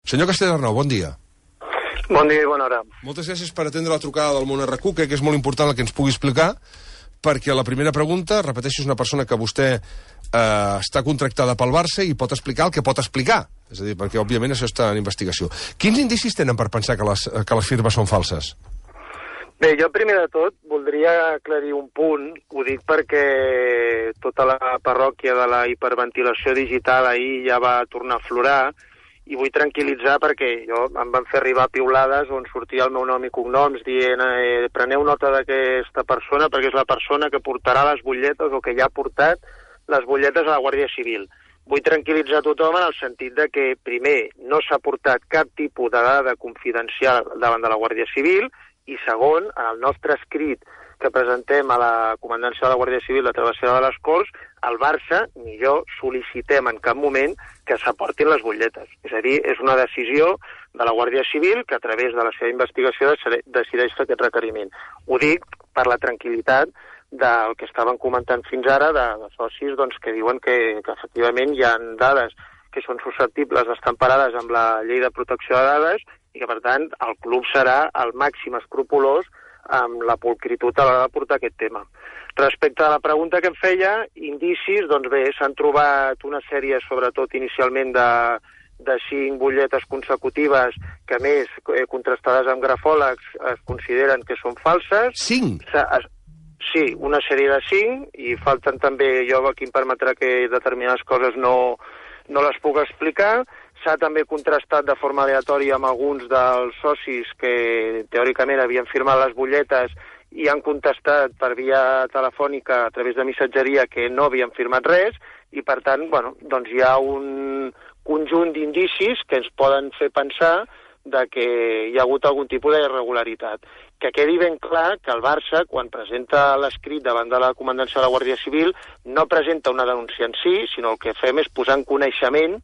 Senyor Castellarnau, bon dia. Bon dia i bona hora. Moltes gràcies per atendre la trucada del Món RQ, crec que és molt important el que ens pugui explicar, perquè la primera pregunta, repeteixo, és una persona que vostè està contractada pel Barça i pot explicar el que pot explicar. És a dir, perquè, òbviament, això està en investigació. Quins indicis tenen per pensar que les firmes són falses? Bé, jo primer de tot voldria aclarir un punt. Ho dic perquè tota la parròquia de la hiperventilació digital ahir ja va tornar a aflorar i vull tranquil·litzar perquè em van fer arribar piulades on sortia el meu nom i cognoms dient preneu nota d'aquesta persona perquè és la persona que portarà les butlletes o que ja ha portat les butlletes a la Guàrdia Civil. Vull tranquil·litzar tothom en el sentit de que, primer, no s'ha portat cap tipus de dada confidencial davant de la Guàrdia Civil i, segon, en el nostre escrit que presentem a la Comandància de la Guàrdia Civil de Travessera de les Corts, el Barça ni jo sol·licitem en cap moment que s'aportin les butlletes. És a dir, és una decisió de la Guàrdia Civil que a través de la seva investigació decideix fer aquest requeriment. Ho dic per la tranquil·litat del que estaven comentant fins ara de socis que diuen que efectivament hi ha dades que són susceptibles d'estar emparades amb la llei de protecció de dades i que, per tant, el club serà el màxim escrupolós amb la pulcritud a l'hora de portar aquest tema. Respecte a la pregunta que em feia, indicis, doncs bé, s'han trobat una sèrie, sobretot inicialment, de 5 butlletes consecutives que, a més, contrastades amb grafòlegs, es consideren que són falses. 5? Sí, una sèrie de 5, i falten també, jo aquí em permetrà que determinades coses no les puc explicar. S'ha també contrastat de forma aleatòria amb alguns dels socis que teòricament havien firmat les butlletes i han contestat per via telefònica a través de missatgeria que no havien firmat res i, per tant, doncs hi ha un conjunt d'indicis que ens poden fer pensar que hi ha hagut algun tipus d'irregularitat. Que quedi ben clar que el Barça, quan presenta l'escrit davant de la Comandància de la Guàrdia Civil, no presenta una denúncia en si, sinó el que fem és posar en coneixement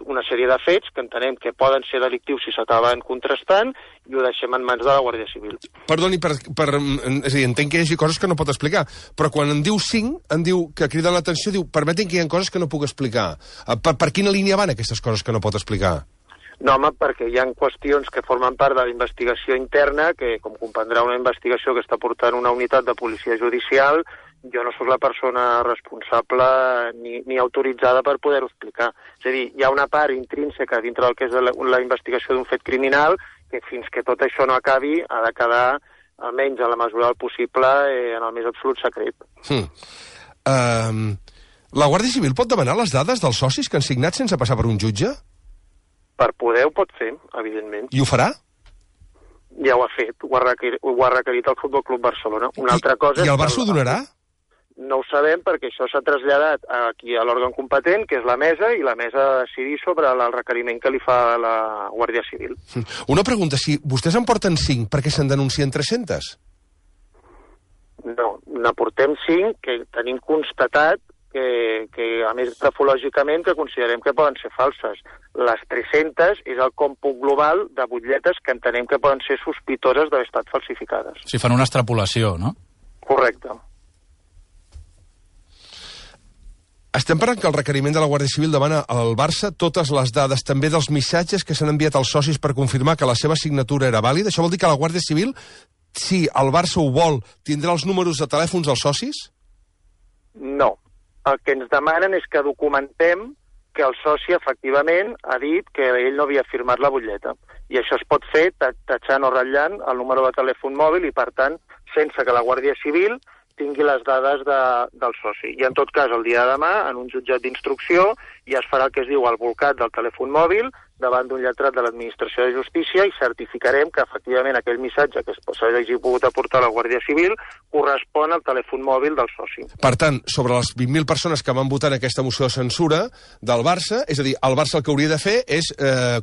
una sèrie de fets que entenem que poden ser delictius si s'acaben contrastant i ho deixem en mans de la Guàrdia Civil. Perdoni, és a dir, entenc que hi hagi coses que no pot explicar, però quan en diu 5, en diu que crida l'atenció, diu, permetin que hi ha coses que no puc explicar. Per quina línia van aquestes coses que no pot explicar? No, home, perquè hi ha qüestions que formen part de la investigació interna, que, com comprendrà, una investigació que està portant una unitat de policia judicial, jo no sóc la persona responsable ni autoritzada per poder-ho explicar. És a dir, hi ha una part intrínseca dintre del que és la investigació d'un fet criminal que fins que tot això no acabi ha de quedar, almenys a la mesura del possible, en el més absolut secret. La Guàrdia Civil pot demanar les dades dels socis que han signat sense passar per un jutge? Per poder ho pot fer, evidentment. I ho farà? Ja ho ha fet, ho ha requerit el Futbol Club Barcelona. Una altra cosa I el Barça ho donarà? No ho sabem perquè això s'ha traslladat aquí a l'òrgan competent, que és la mesa, i la mesa ha de decidir sobre el requeriment que li fa la Guàrdia Civil. Una pregunta, si vostès en porten 5, per què se'n denuncien 300? No, n'aportem 5 que tenim constatat que a més grafològicament que considerem que poden ser falses. Les 300 és el còmput global de butlletes que entenem que poden ser sospitoses d'haver estat falsificades. Si fan una extrapolació, no? Correcte. Estem parlant que el requeriment de la Guàrdia Civil demana al Barça totes les dades, també dels missatges que s'han enviat als socis per confirmar que la seva signatura era vàlida. Això vol dir que la Guàrdia Civil, si el Barça ho vol, tindrà els números de telèfons dels socis? No. El que ens demanen és que documentem que el soci efectivament ha dit que ell no havia firmat la butlleta. I això es pot fer tatxant o ratllant el número de telèfon mòbil i, per tant, sense que la Guàrdia Civil tingui les dades del soci. I en tot cas, el dia de demà, en un jutjat d'instrucció, ja es farà el que es diu el bolcat del telèfon mòbil davant d'un lletrat de l'Administració de Justícia i certificarem que efectivament aquell missatge que s'hagi pogut aportar a la Guàrdia Civil correspon al telèfon mòbil del soci. Per tant, sobre les 20.000 persones que van votar en aquesta moció de censura del Barça, és a dir, el Barça el que hauria de fer és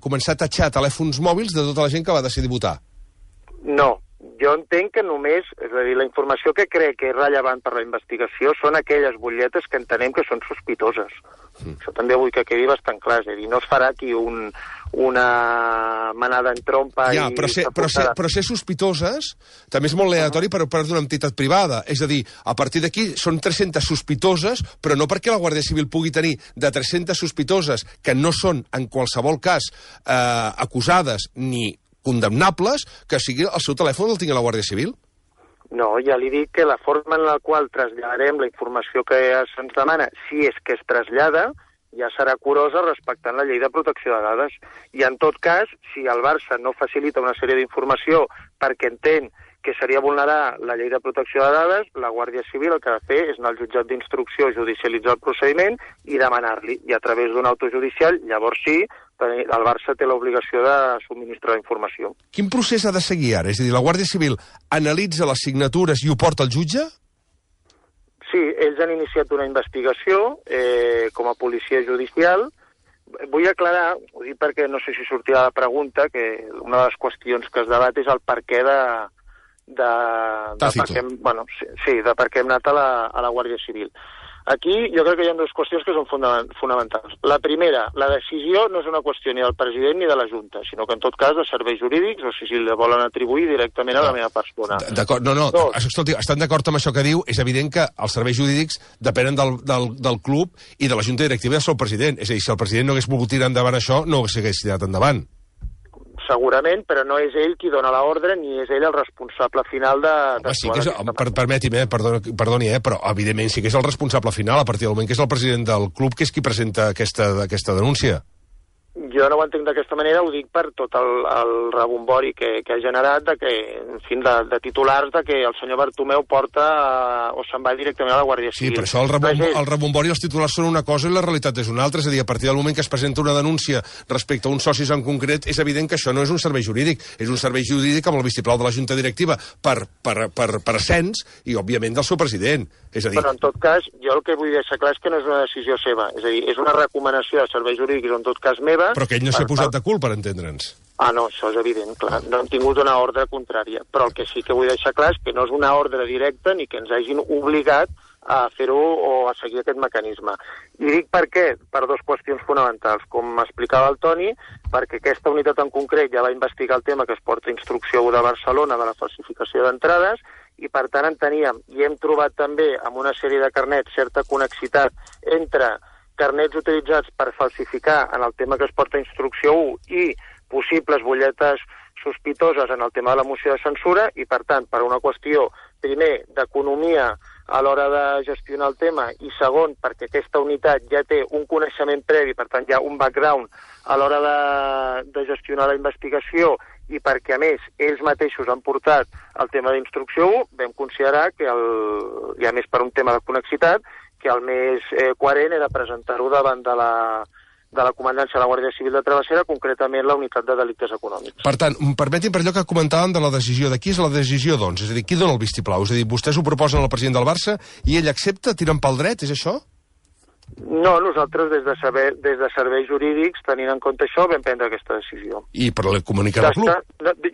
començar a tatxar telèfons mòbils de tota la gent que va decidir votar. No. Jo entenc que només, és a dir, la informació que crec que és rellevant per la investigació són aquelles butlletes que entenem que són sospitoses. Això també vull que quedi bastant clar, és a dir, no es farà aquí un una manada en trompa... Ja, però ser sospitoses també és molt aleatori per part d'una entitat privada. És a dir, a partir d'aquí són 300 sospitoses, però no perquè la Guàrdia Civil pugui tenir de 300 sospitoses que no són, en qualsevol cas, acusades ni condemnables, que sigui el seu telèfon el tingui la Guàrdia Civil. No, ja li dic que la forma en la qual traslladarem la informació que se'ns demana, si és que es trasllada, ja serà curosa respectant la llei de protecció de dades. I en tot cas, si el Barça no facilita una sèrie d'informació perquè entén que seria vulnerar la llei de protecció de dades, la Guàrdia Civil el que ha de fer és anar al jutjat d'instrucció, judicialitzar el procediment i demanar-li. I a través d'un autojudicial, llavors sí, el Barça té l'obligació de subministrar la informació. Quin procés ha de seguir ara? És a dir, la Guàrdia Civil analitza les signatures i ho porta al jutge? Sí, ells han iniciat una investigació com a policia judicial. Vull aclarar, ho dic perquè no sé si sortirà la pregunta, que una de les qüestions que es debat és el perquè de per què hem anat a la Guàrdia Civil. Aquí jo crec que hi ha dues qüestions que són fonamentals. La primera, la decisió no és una qüestió ni del president ni de la Junta, sinó que en tot cas de serveis jurídics, o si la volen atribuir directament a la meva persona. D'acord, escolti, estan d'acord amb això que diu? És evident que els serveis jurídics depenen del club i de la Junta Directiva del seu president. És a dir, si el president no hagués volgut tirar endavant això, no ho hagués tirat endavant. Segurament, però no és ell qui dona l'ordre ni és ell el responsable final de... Sí que és, permeti'm, perdoni, però evidentment sí que és el responsable final a partir del moment que és el president del club que és qui presenta aquesta denúncia. Jo no ho entenc d'aquesta manera, ho dic per tot el rebombori que ha generat en fi, de titulars de que el senyor Bartomeu porta o se'n va directament a la Guàrdia Civil. Sí, però això el rebombori i els titulars són una cosa i la realitat és una altra. És a dir, a partir del moment que es presenta una denúncia respecte a uns socis en concret, és evident que això no és un servei jurídic, és un servei jurídic amb el vistiplau de la Junta Directiva per ascens i, òbviament, del seu president. És a dir... Però, en tot cas, jo el que vull deixar clar és que no és una decisió seva. És a dir, és una recomanació de serveis jurídics, en tot cas meva... Però que ell no s'ha posat de cul, per entendre'ns. No, això és evident, clar. No hem tingut una ordre contrària. Però el que sí que vull deixar clar és que no és una ordre directa ni que ens hagin obligat a fer-ho o a seguir aquest mecanisme. I dic per què? Per dues qüestions fonamentals. Com m'explicava el Toni, perquè aquesta unitat en concret ja va investigar el tema que es porta a instrucció de Barcelona de la falsificació d'entrades i, per tant, enteníem, i hem trobat també amb una sèrie de carnets certa connexitat entre carnets utilitzats per falsificar en el tema que es porta a instrucció 1 i possibles butlletes sospitoses en el tema de la moció de censura i, per tant, per una qüestió, primer, d'economia a l'hora de gestionar el tema i, segon, perquè aquesta unitat ja té un coneixement previ, per tant, ja un background a l'hora de gestionar la investigació i perquè, a més, ells mateixos han portat el tema d'instrucció 1, vam considerar que, i a més per un tema de connexitat, que el més coherent era presentar-ho davant de la comandància de la Guàrdia Civil de Travessera, concretament la unitat de delictes econòmics. Per tant, permeti'm per allò que comentàvem de la decisió de qui és la decisió, doncs? És a dir, qui dona el vistiplau? És a dir, vostès ho proposen al president del Barça i ell accepta, tirant pel dret, és això? No, nosaltres des de serveis jurídics, tenint en compte això, vam prendre aquesta decisió. I per comunicar al club?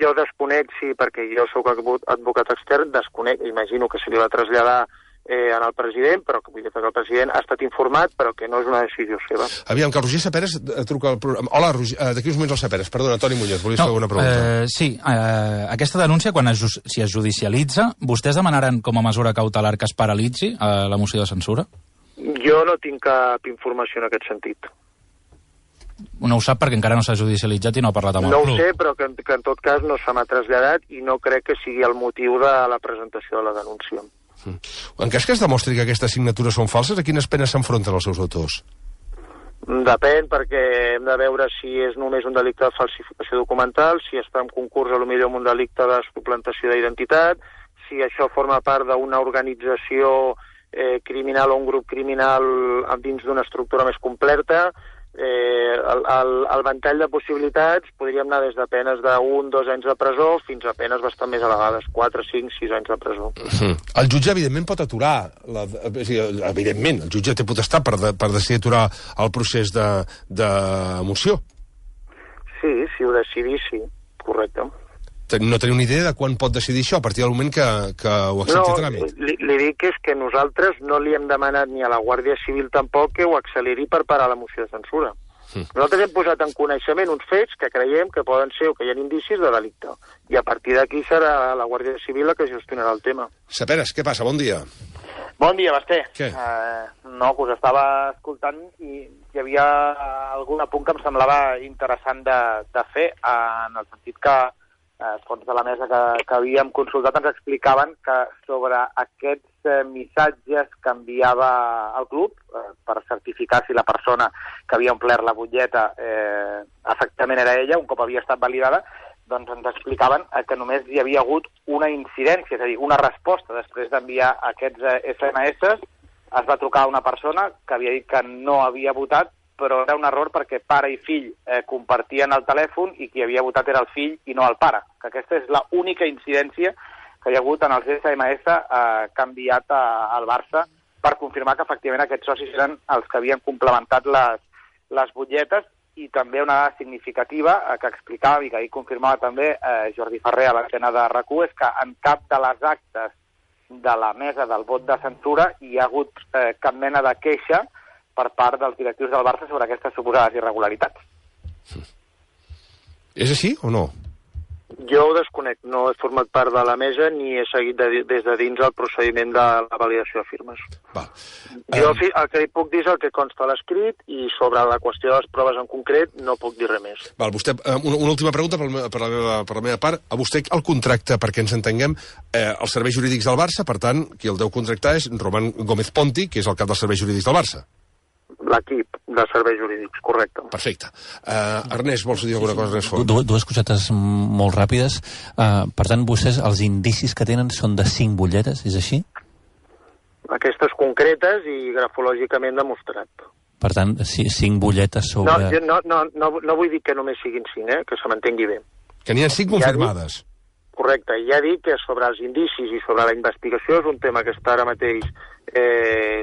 Jo desconec, sí, perquè jo soc advocat extern, desconec, imagino que se li va traslladar en el president, però vull dir que el president ha estat informat, però que no és una decisió seva. Aviam, que el Roger Saperes truca al programa. Hola, Roger, d'aquí uns moments el Saperes. Perdona, Toni Muñoz, volies fer alguna pregunta? Sí, aquesta denúncia, si es judicialitza, vostès demanaran com a mesura cautelar que es paralitzi la moció de censura? Jo no tinc cap informació en aquest sentit. No ho sap perquè encara no s'ha judicialitzat i no ha parlat amb el club. No ho sé, però que en tot cas no se m'ha traslladat i no crec que sigui el motiu de la presentació de la denúncia. En cas que es demostri que aquestes signatures són falses, a quines penes s'enfronten els seus autors? Depèn, perquè hem de veure si és només un delicte de falsificació documental, si està en concurs potser amb un delicte de suplantació d'identitat, si això forma part d'una organització criminal o un grup criminal dins d'una estructura més completa. El ventall de possibilitats podríem anar des de penes d'1, 2 anys de presó fins a penes bastant més elevades, 4, 5, 6 anys de presó. El jutge, evidentment, pot aturar. Evidentment, el jutge té potestat per decidir aturar el procés de moció. Sí, si ho decidís, sí, correcte. No teniu una idea de quan pot decidir això, a partir del moment que ho accepti tràmit? No, li dic que és que nosaltres no li hem demanat ni a la Guàrdia Civil tampoc que ho acceleri per parar la moció de censura. Nosaltres hem posat en coneixement uns fets que creiem que poden ser o que hi ha indicis de delicte. I a partir d'aquí serà la Guàrdia Civil la que gestionarà el tema. Saperes, què passa? Bon dia. Bon dia, Basté. Què? No, que us estava escoltant i hi havia algun apunt que em semblava interessant de fer, en el sentit que els fons de la mesa que havíem consultat ens explicaven que sobre aquests missatges que enviava el club per certificar si la persona que havia omplert la butlleta efectivament era ella, un cop havia estat validada, doncs ens explicaven que només hi havia hagut una incidència, és a dir, una resposta després d'enviar aquests SMS. Es va trucar a una persona que havia dit que no havia votat, però era un error perquè pare i fill compartien el telèfon i qui havia votat era el fill i no el pare. Que aquesta és l'única incidència que hi ha hagut en els SMS que ha enviat al Barça per confirmar que efectivament aquests socis eren els que havien complementat les butlletes. I també una dada significativa que explicava i que ahir confirmava també Jordi Ferrer a l'antena de RAC1 és que en cap de les actes de la mesa del vot de censura hi ha hagut cap mena de queixa per part dels directius del Barça sobre aquestes suposades irregularitats. És així o no? Jo ho desconec, no he format part de la mesa ni he seguit des de dins el procediment de la validació de firmes. Jo el que puc dir és el que consta a l'escrit i sobre la qüestió de les proves en concret no puc dir res més. Vostè, una última pregunta per la meva part. A vostè el contracte, perquè ens entenguem, els serveis jurídics del Barça, per tant, qui el deu contractar és Román Gómez Ponti, que és el cap dels serveis jurídics del Barça. L'equip de serveis jurídics, correcte. Perfecte. Ernest, vols dir alguna cosa més fort? Dues cosetes molt ràpides. Per tant, vostès, els indicis que tenen són de 5 butlletes, és així? Aquestes concretes i grafològicament demostrat. Per tant, 5 butlletes sobre... No vull dir que només siguin 5, que se m'entengui bé. Que n'hi ha 5 confirmades. Correcte, ja dic que sobre els indicis i sobre la investigació és un tema que està ara mateix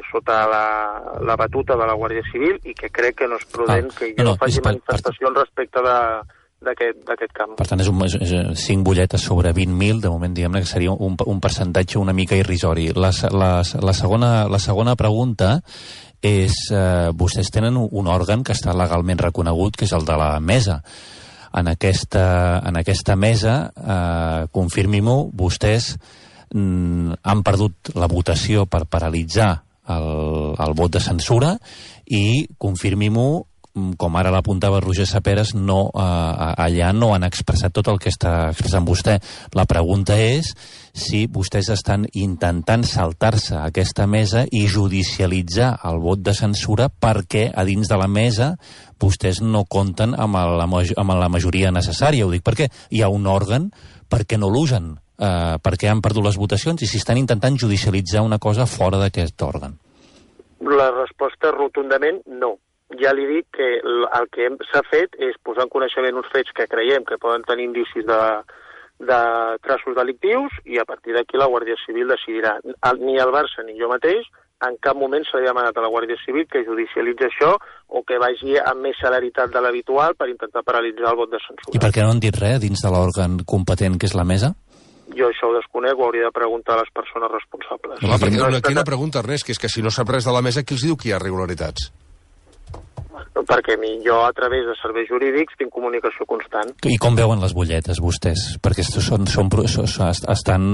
sota la batuta de la Guàrdia Civil i que crec que no és prudent que jo faci manifestacions respecte d'aquest camp. Per tant, és 5 butlletes sobre 20.000, de moment diguem-ne que seria un percentatge una mica irrisori. La segona pregunta és, vostès tenen un òrgan que està legalment reconegut, que és el de la mesa. En aquesta mesa, confirmi-m'ho, vostès han perdut la votació per paralitzar el vot de censura i, confirmi-m'ho, com ara l'apuntava Roger Saperes, allà no han expressat tot el que està expressant vostè. La pregunta és si vostès estan intentant saltar-se aquesta mesa i judicialitzar el vot de censura perquè a dins de la mesa vostès no compten amb la majoria necessària. Ho dic perquè hi ha un òrgan, perquè no l'usen, perquè han perdut les votacions i si estan intentant judicialitzar una cosa fora d'aquest òrgan. La resposta rotundament no. Ja li dic que el que s'ha fet és posar en coneixement uns fets que creiem que poden tenir indicis de traços delictius i a partir d'aquí la Guàrdia Civil decidirà. Ni el Barça ni jo mateix en cap moment s'ha demanat a la Guàrdia Civil que judicialitzi això o que vagi amb més celeritat de l'habitual per intentar paralitzar el vot de censura. I per què no han dit res dins de l'òrgan competent que és la mesa? Jo això ho desconec, ho hauria de preguntar a les persones responsables. Clar, perquè aquí una pregunta, Ernest, que és que si no sap res de la mesa, qui els diu que hi ha irregularitats? Perquè jo, a través de serveis jurídics, tinc comunicació constant. I com veuen les butlletes, vostès? Perquè estan,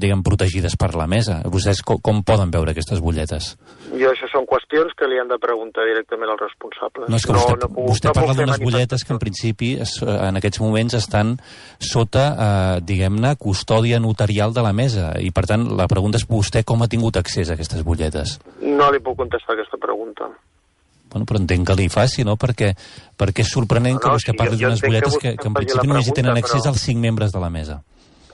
diguem, protegides per la mesa. Vostès com poden veure aquestes butlletes? Això són qüestions que li han de preguntar directament als responsables. No, és que vostè parla d'unes butlletes que, en principi, en aquests moments estan sota, diguem-ne, custòdia notarial de la mesa. I, per tant, la pregunta és vostè com ha tingut accés a aquestes butlletes? No li puc contestar aquesta pregunta. Bueno, però entenc que li faci, no? Perquè és sorprenent que vostè parli d'unes butlletes que en principi només hi tenen accés als 5 membres de la mesa.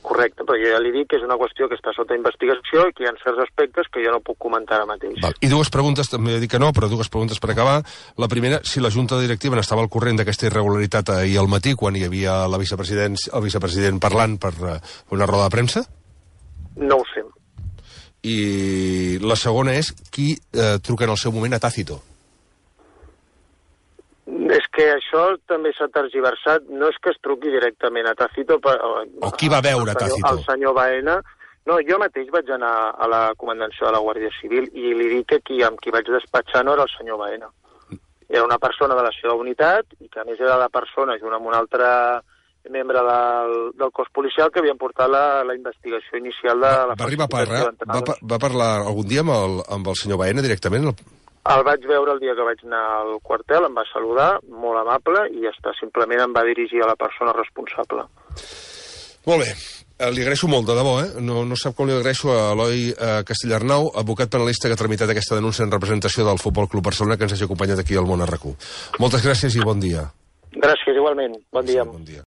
Correcte, però jo ja li dic que és una qüestió que està sota investigació i que hi ha certs aspectes que jo no puc comentar ara mateix. I dues preguntes, també dic que no, però dues preguntes per acabar. La primera, si la Junta Directiva n'estava al corrent d'aquesta irregularitat ahir al matí, quan hi havia el vicepresident parlant per una roda de premsa? No ho sé. I la segona és, qui truca en el seu moment a Tácito? És que això també s'ha tergiversat. No és que es truqui directament a Tácito... O qui va veure Tácito? El senyor Baena. No, jo mateix vaig anar a la comandancia de la Guàrdia Civil i li dic que amb qui vaig despatxar no era el senyor Baena. Era una persona de la seva unitat i que a més era la persona, junt amb un altre membre del cos policial, que havien portat la investigació inicial de la... Va parlar algun dia amb el senyor Baena directament? El vaig veure el dia que vaig anar al quartel, em va saludar, molt amable, i ja està, simplement em va dirigir a la persona responsable. Molt bé. Li agraeixo molt, de debò, No sap com li agraeixo a Eloi Castellarnau, advocat penalista que ha tramitat aquesta denúncia en representació del Futbol Club Barcelona, que ens hagi acompanyat aquí al Món RQ. Moltes gràcies i bon dia. Gràcies, igualment. Bon dia. Bon dia.